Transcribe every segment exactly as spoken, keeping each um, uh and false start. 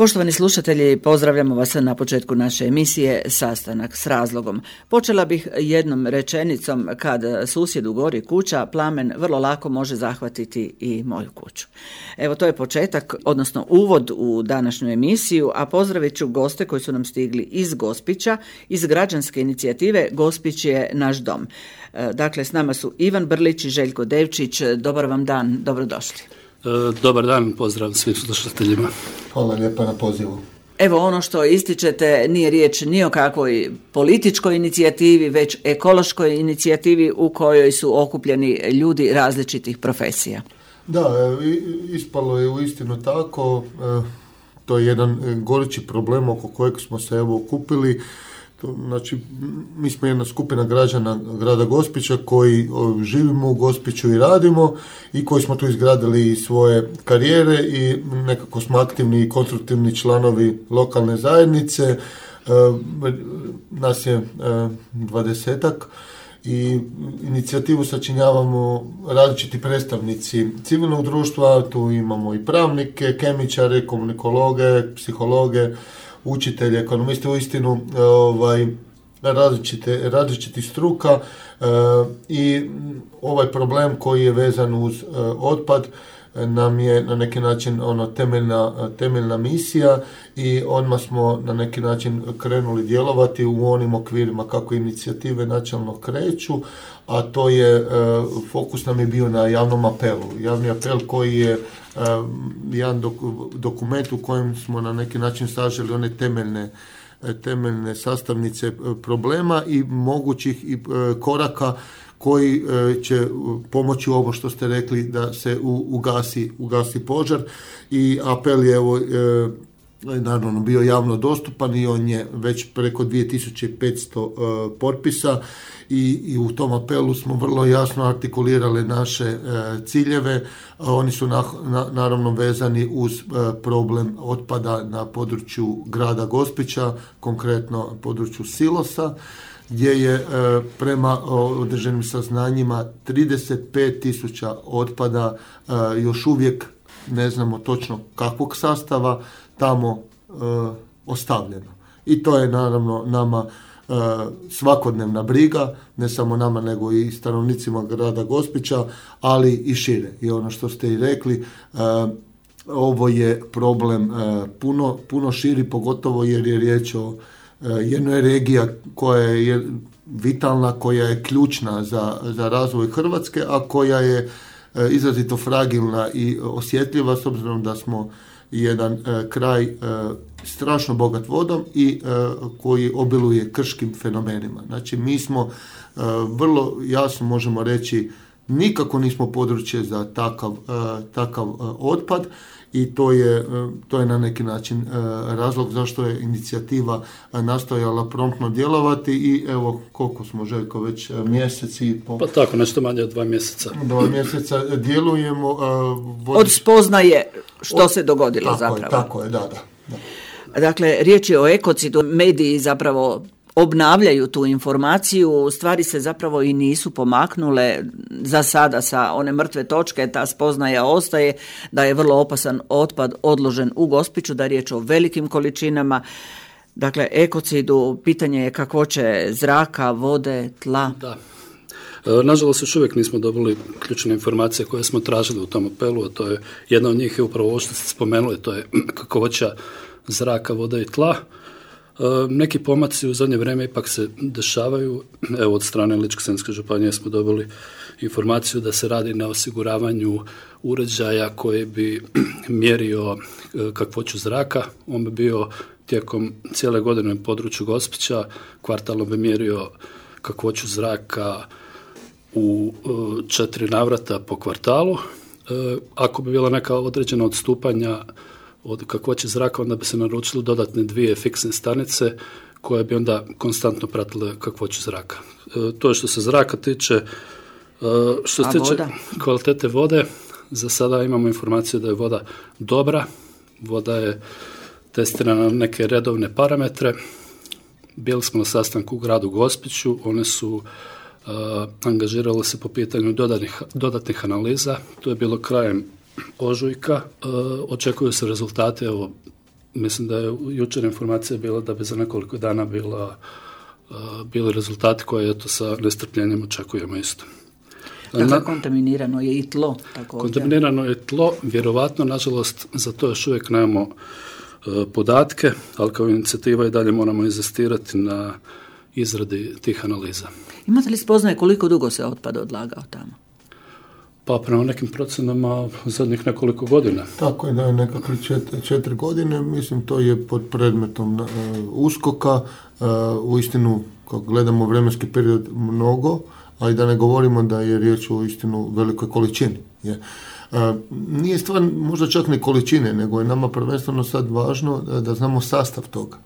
Poštovani slušatelji, pozdravljamo vas na početku naše emisije Sastanak s razlogom. Počela bih jednom rečenicom: kad susjedu gori kuća, plamen vrlo lako može zahvatiti i moju kuću. Evo, to je početak, odnosno uvod u današnju emisiju, a pozdravit ću goste koji su nam stigli iz Gospića, iz građanske inicijative Gospić je naš dom. Dakle, s nama su Ivan Brlić i Željko Devčić. Dobar vam dan, dobrodošli. Dobar dan, pozdrav svim slušateljima. Hvala lijepa na pozivu. Evo, ono što ističete nije riječ ni o kakvoj političkoj inicijativi, već ekološkoj inicijativi u kojoj su okupljeni ljudi različitih profesija. Da, ispalo je uistinu tako. To je jedan gorući problem oko kojeg smo se evo okupili. Znači, mi smo jedna skupina građana grada Gospića koji živimo u Gospiću i radimo i koji smo tu izgradili svoje karijere i nekako smo aktivni i konstruktivni članovi lokalne zajednice. E, nas je e, dvadesetak i inicijativu sačinjavamo različiti predstavnici civilnog društva. Tu imamo i pravnike, kemičare, komunikologe, psihologe, učitelji, ekonomisti, uistinu ovaj, različite, različitih struka e, i ovaj problem koji je vezan uz e, otpad nam je na neki način ono temeljna, temeljna misija i odmah smo na neki način krenuli djelovati u onim okvirima kako inicijative načelno kreću, a to je, e, fokus nam je bio na javnom apelu. Javni apel koji je Uh, jedan dok, dokument u kojem smo na neki način saželi one temeljne, temeljne sastavnice problema i mogućih i, uh, koraka koji uh, će pomoći ovo što ste rekli da se u, ugasi, ugasi požar. I apel je evo, uh, naravno bio javno dostupan i on je već preko dvije tisuće petsto uh, potpisa i, i u tom apelu smo vrlo jasno artikulirali naše uh, ciljeve. Uh, oni su na, na, naravno vezani uz uh, problem otpada na području grada Gospića, konkretno području silosa, gdje je uh, prema uh, određenim saznanjima trideset pet tisuća otpada uh, još uvijek ne znamo točno kakvog sastava tamo e, ostavljeno. I to je naravno nama e, svakodnevna briga, ne samo nama nego i stanovnicima grada Gospića, ali i šire. I ono što ste i rekli, e, ovo je problem e, puno, puno širi, pogotovo jer je riječ o e, jednoj regiji koja je vitalna, koja je ključna za, za razvoj Hrvatske, a koja je e, izrazito fragilna i osjetljiva s obzirom da smo jedan e, kraj e, strašno bogat vodom i e, koji obiluje krškim fenomenima. Znači, mi smo e, vrlo jasno možemo reći nikako nismo područje za takav, e, takav e, otpad i to je, e, to je na neki način e, razlog zašto je inicijativa e, nastojala promptno djelovati i evo koliko smo, Željko, već mjesec i po... Pa tako, nešto manje od dva mjeseca. Dva mjeseca djelujemo. E, vodi... Od spoznaje što od... se dogodilo tako zapravo. Je, tako je, da, da, da. Dakle, riječ je o ekocidu, mediji zapravo obnavljaju tu informaciju, stvari se zapravo i nisu pomaknule za sada sa one mrtve točke, ta spoznaja ostaje da je vrlo opasan otpad odložen u Gospiću, da je riječ o velikim količinama. Dakle, ekocidu, pitanje je kakvoće zraka, vode, tla. Da. Nažalost, još uvijek nismo dobili ključne informacije koje smo tražili u tom apelu, a to je, jedna od njih je upravo ovo što ste spomenuli, to je kakvoća zraka, vode i tla. E, neki pomaci u zadnje vrijeme ipak se dešavaju. Evo, od strane Ličko-senjske županije smo dobili informaciju da se radi na osiguravanju uređaja koji bi mjerio kakvoću zraka. On bi bio tijekom cijele godine u području Gospića, kvartalno bi mjerio kakvoću zraka u četiri navrata po kvartalu. E, ako bi bila neka određena odstupanja od kakvoće zraka, onda bi se naručili dodatne dvije fiksne stanice koje bi onda konstantno pratile kakvoću zraka. E, to je što se zraka tiče. E, što se tiče kvalitete vode, za sada imamo informaciju da je voda dobra. Voda je testirana na neke redovne parametre. Bili smo na sastanku u gradu Gospiću, one su uh, angažirale se po pitanju dodatnih, dodatnih analiza. To je bilo krajem ožujka. Uh, očekuju se rezultate evo, mislim da je jučer informacija bila da bi za nekoliko dana bila, uh, bili rezultati koje eto sa nestrpljenjem očekujemo isto. Dakle, Na, kontaminirano je i tlo. Također. Kontaminirano je tlo, vjerovatno, nažalost, za to još uvijek nemamo uh, podatke, ali kao inicijativa i dalje moramo inzistirati na izradi tih analiza. Imate li spoznaje koliko dugo se otpad odlagao tamo? Pa prema nekim procenama zadnjih nekoliko godina. Tako je, da je nekakve četiri, četiri godine, mislim to je pod predmetom uh, uskoka, uh, u istinu, kako gledamo vremenski period, mnogo, a i da ne govorimo da je riječ o istinu velikoj količini. Je. Uh, nije stvar možda čak ni količine, nego je nama prvenstveno sad važno da, da znamo sastav toga.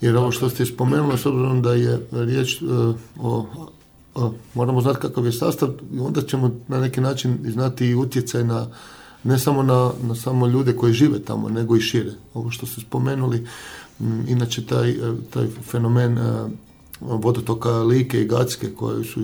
Jer ovo što ste spomenuli, s obzirom da je riječ uh, o moramo znati kakav je sastav i onda ćemo na neki način znati i utjecaj na, ne samo na, na samo ljude koji žive tamo, nego i šire. Ovo što ste spomenuli, m, inače taj, taj fenomen a, vodotoka Like i Gacke koje su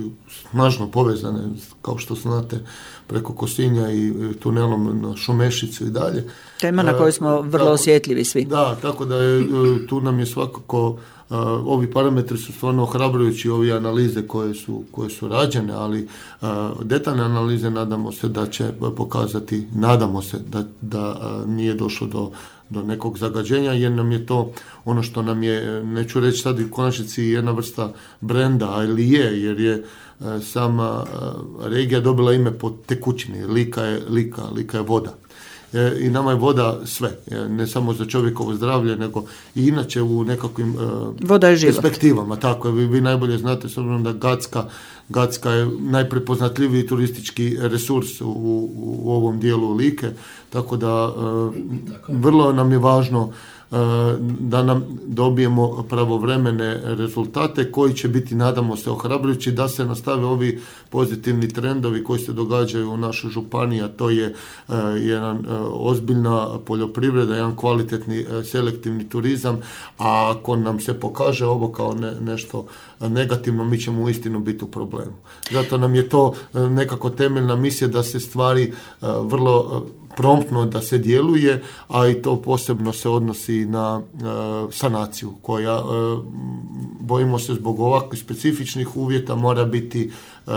snažno povezane, kao što znate, preko Kosinja i tunelom na Šumešicu i dalje. Tema na kojoj smo vrlo tako, osjetljivi svi. Da, tako da je, tu nam je svakako Uh, ovi parametri su stvarno ohrabrujući, ovi analize koje su, koje su rađene, ali uh, detaljne analize nadamo se da će pokazati, nadamo se da, da uh, nije došlo do, do nekog zagađenja, jer nam je to ono što nam je, neću reći sad u konačnici jedna vrsta brenda, ali je, jer je uh, sama uh, regija dobila ime po tekućini, Lika je, Lika, Lika je voda. I nama je voda sve, ne samo za čovjekovo zdravlje, nego i inače u nekakvim uh, perspektivama. Tako je, vi, vi najbolje znate, s obzirom da Gacka, Gacka je najprepoznatljiviji turistički resurs u, u, u ovom dijelu Like, tako da uh, vrlo nam je važno da nam dobijemo pravovremene rezultate koji će biti, nadamo se, ohrabrujući da se nastave ovi pozitivni trendovi koji se događaju u našoj županiji, a to je uh, jedan uh, ozbiljna poljoprivreda, jedan kvalitetni uh, selektivni turizam, a ako nam se pokaže ovo kao ne, nešto negativno, mi ćemo uistinu biti u problemu. Zato nam je to uh, nekako temeljna misija da se stvari uh, vrlo uh, promptno da se djeluje, a i to posebno se odnosi na e, sanaciju koja, e, bojimo se zbog ovakvih specifičnih uvjeta, mora biti e,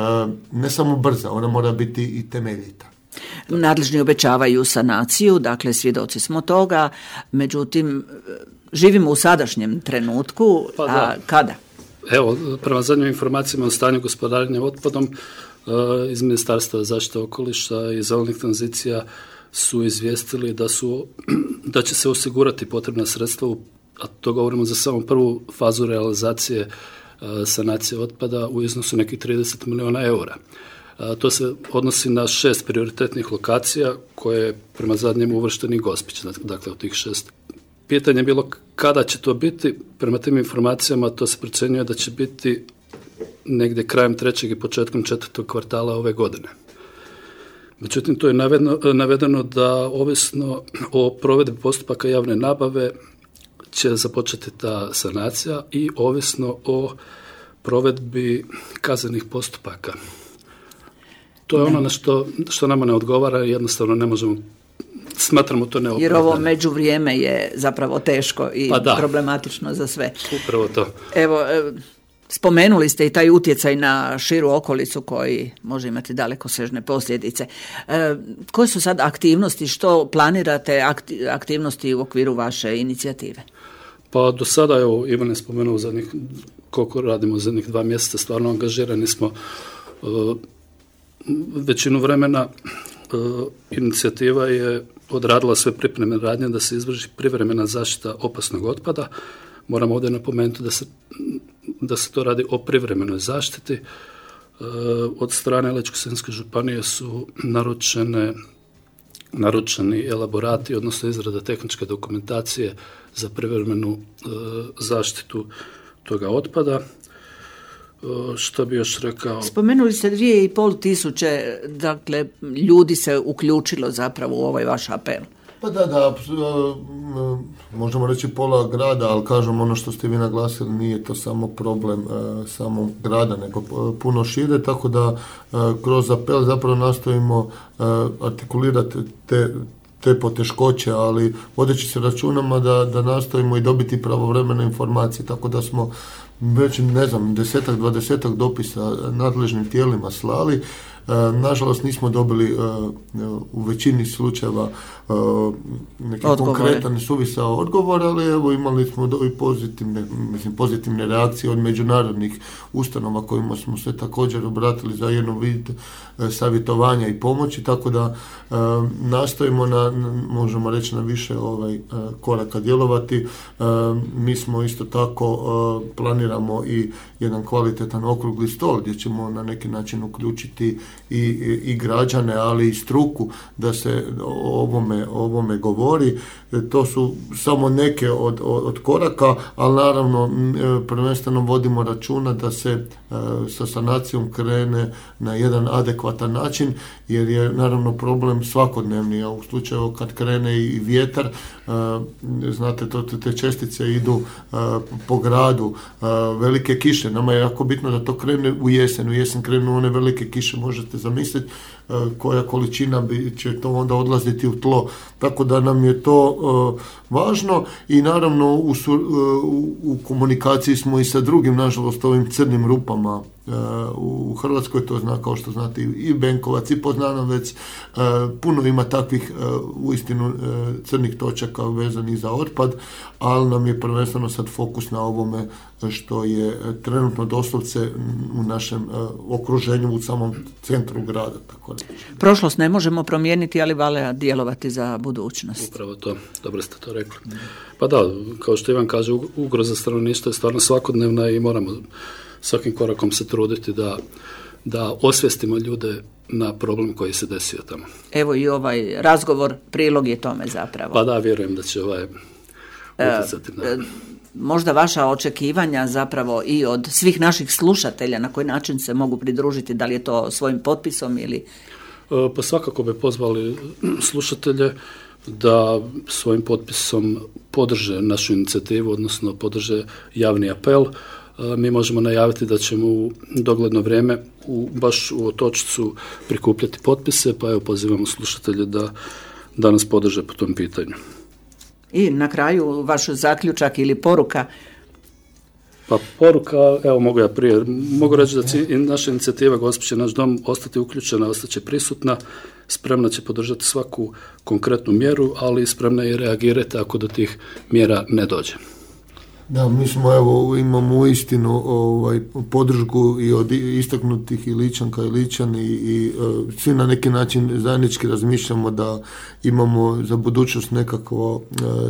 ne samo brza, ona mora biti i temeljita. Nadležni obećavaju sanaciju, dakle svjedoci smo toga, međutim živimo u sadašnjem trenutku, pa a kada? Evo, prema zadnjim informacijama o stanju gospodarenja otpadom iz Ministarstva zaštite okoliša i zelenih tranzicija su izvijestili da su da će se osigurati potrebna sredstva, a to govorimo za samo prvu fazu realizacije sanacije otpada u iznosu nekih trideset milijuna eura. To se odnosi na šest prioritetnih lokacija koje je prema zadnjem uvršteni Gospić, dakle od tih šest. Pitanje je bilo kada će to biti, prema tim informacijama to se procjenjuje da će biti negdje krajem trećeg i početkom četvrtog kvartala ove godine. Međutim, to je navedeno, navedeno da ovisno o provedbi postupaka javne nabave će započeti ta sanacija i ovisno o provedbi kaznenih postupaka. To je ono na što, što nama ne odgovara i jednostavno ne možemo, smatramo to neopravdano. Jer ovo međuvrijeme je zapravo teško i pa problematično za sve. Upravo to. Evo, spomenuli ste i taj utjecaj na širu okolicu koji može imati dalekosežne posljedice. E, koje su sad aktivnosti, što planirate aktivnosti u okviru vaše inicijative? Pa do sada, evo, Ivan je spomenuo zadnjih, koliko radimo zadnjih dva mjeseca, stvarno angažirani smo uh, većinu vremena. Uh, inicijativa je odradila sve pripremne radnje da se izvrši privremena zaštita opasnog otpada. Moram ovdje napomenuti da se, da se to radi o privremenoj zaštiti. E, od strane Ličko-senjske županije su naručene, naručeni elaborati, odnosno izrada tehničke dokumentacije za privremenu e, zaštitu toga otpada. E, što bi još rekao? Spomenuli ste dvije i pol tisuće, dakle, ljudi se uključilo zapravo u ovaj vaš apel. Pa da, da, možemo reći pola grada, ali kažem ono što ste vi naglasili, nije to samo problem uh, samog grada, nego puno šire, tako da uh, kroz apel zapravo nastojimo uh, artikulirati te, te poteškoće, ali vodeći se računama da, da nastojimo i dobiti pravovremene informacije, tako da smo već, ne znam, desetak, dvadesetak dopisa nadležnim tijelima slali. Nažalost nismo dobili u većini slučajeva neki Odgovore. konkretan suvisao odgovor, ali evo imali smo i pozitivne, mislim, pozitivne reakcije od međunarodnih ustanova kojima smo se također obratili za jednu vid savjetovanja i pomoći, tako da nastojimo na, možemo reći, na više ovaj koraka djelovati. Mi smo isto tako planiramo i jedan kvalitetan okrugli stol gdje ćemo na neki način uključiti i, i, i građane, ali i struku da se o ovome, o ovome govori. To su samo neke od, od, od koraka, ali naravno prvenstveno vodimo računa da se sa sanacijom krene na jedan adekvatan način, jer je naravno problem svakodnevni, a u slučaju kad krene i vjetar, znate, to, te čestice idu po gradu, velike kiše, nama je jako bitno da to krene u jesen, u jesen krenu one velike kiše, možete zamisliti koja količina bi, će to onda odlaziti u tlo, tako da nam je to uh, važno i naravno u, su, uh, u komunikaciji smo i sa drugim, nažalost, ovim crnim rupama uh, u Hrvatskoj, to zna, kao što znate, i Benkovac i Poznanovec, uh, puno ima takvih uh, uistinu uh, crnih točaka vezanih za otpad, ali nam je prvenstveno sad fokus na ovome što je trenutno doslovce u našem uh, okruženju, u samom centru grada, tako reći. Prošlost ne možemo promijeniti, ali valja djelovati za budućnost. Upravo to, dobro ste to rekli. Pa da, kao što Ivan kaže, ugroza stanovništva je stvarno svakodnevna i moramo svakim korakom se truditi da, da osvijestimo ljude na problem koji se desio tamo. Evo i ovaj razgovor prilog je tome zapravo. Pa da, vjerujem da će ovaj utjecati na... E, možda vaša očekivanja zapravo i od svih naših slušatelja, na koji način se mogu pridružiti, da li je to svojim potpisom ili... Pa svakako bi pozvali slušatelje da svojim potpisom podrže našu inicijativu, odnosno podrže javni apel. Mi možemo najaviti da ćemo u dogledno vrijeme u, baš u Otočcu prikupljati potpise, pa evo pozivamo slušatelje da, da nas podrže po tom pitanju. I na kraju vaš zaključak ili poruka? Pa poruka, evo mogu ja prije, mogu reći da će naša inicijativa Gospić je naš dom ostati uključena, ostaće prisutna, spremna će podržati svaku konkretnu mjeru, ali spremna je reagirati ako do tih mjera ne dođe. Da, mi smo, evo, imamo uistinu ovaj, podršku i od istaknutih i Ličanka i Ličani i, i uh, svi na neki način zajednički razmišljamo da imamo za budućnost nekakvo uh,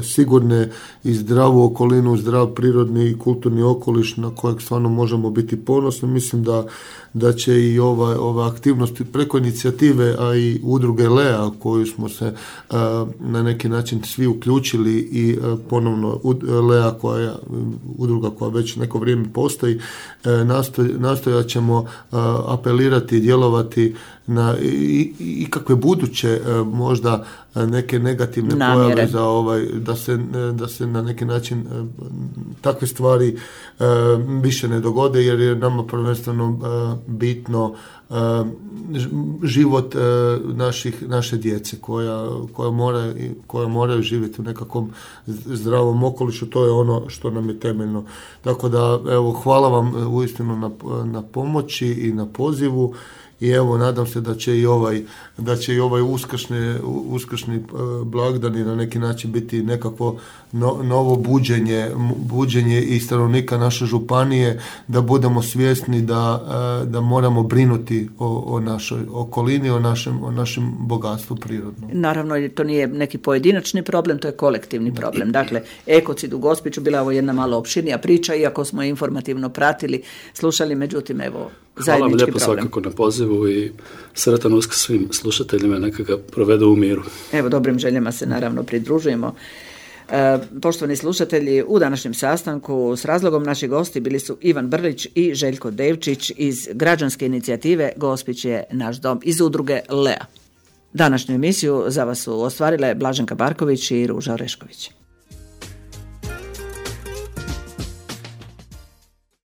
sigurne i zdravu okolinu, zdrav prirodni i kulturni okoliš na kojeg stvarno možemo biti ponosni. Mislim da, da će i ova, ova aktivnosti preko inicijative, a i udruge Lea koju smo se uh, na neki način svi uključili i uh, ponovno uh, Lea koja je udruga koja već neko vrijeme postoji, nastoj, nastojat ćemo apelirati i djelovati na i, i kakve buduće možda neke negativne namjere. Pojave za ovaj, da se, da se na neki način takve stvari više ne dogode, jer je nama prvenstveno bitno život naših, naše djece koja, koja, mora, koja moraju živjeti u nekakvom zdravom okolišu, to je ono što nam je temeljno. Tako da, evo, hvala vam uistinu na, na pomoći i na pozivu. I evo, nadam se da će i ovaj, da će i ovaj uskršnji, uskršnji blagdani na neki način biti nekako no, novo buđenje, buđenje i stanovnika naše županije, da budemo svjesni da, da moramo brinuti o, o našoj okolini, o našem, o našem bogatstvu prirodnom. Naravno, to nije neki pojedinačni problem, to je kolektivni problem. Dakle, ekocid u Gospiću bila ovo jedna malo opširnija priča, iako smo informativno pratili, slušali, međutim, evo, zajednički problem. Hvala vam lijepo svakako na pozivu i sretan Uskrs svim slušateljima, neka ga provedu u miru. Evo, dobrim željama se naravno pridružujemo. E, poštovani slušatelji, u današnjem sastanku s razlogom naši gosti bili su Ivan Brlić i Željko Devčić iz građanske inicijative Gospić je naš dom iz udruge Lea. Današnju emisiju za vas su ostvarile Blaženka Barković i Ruža Orešković.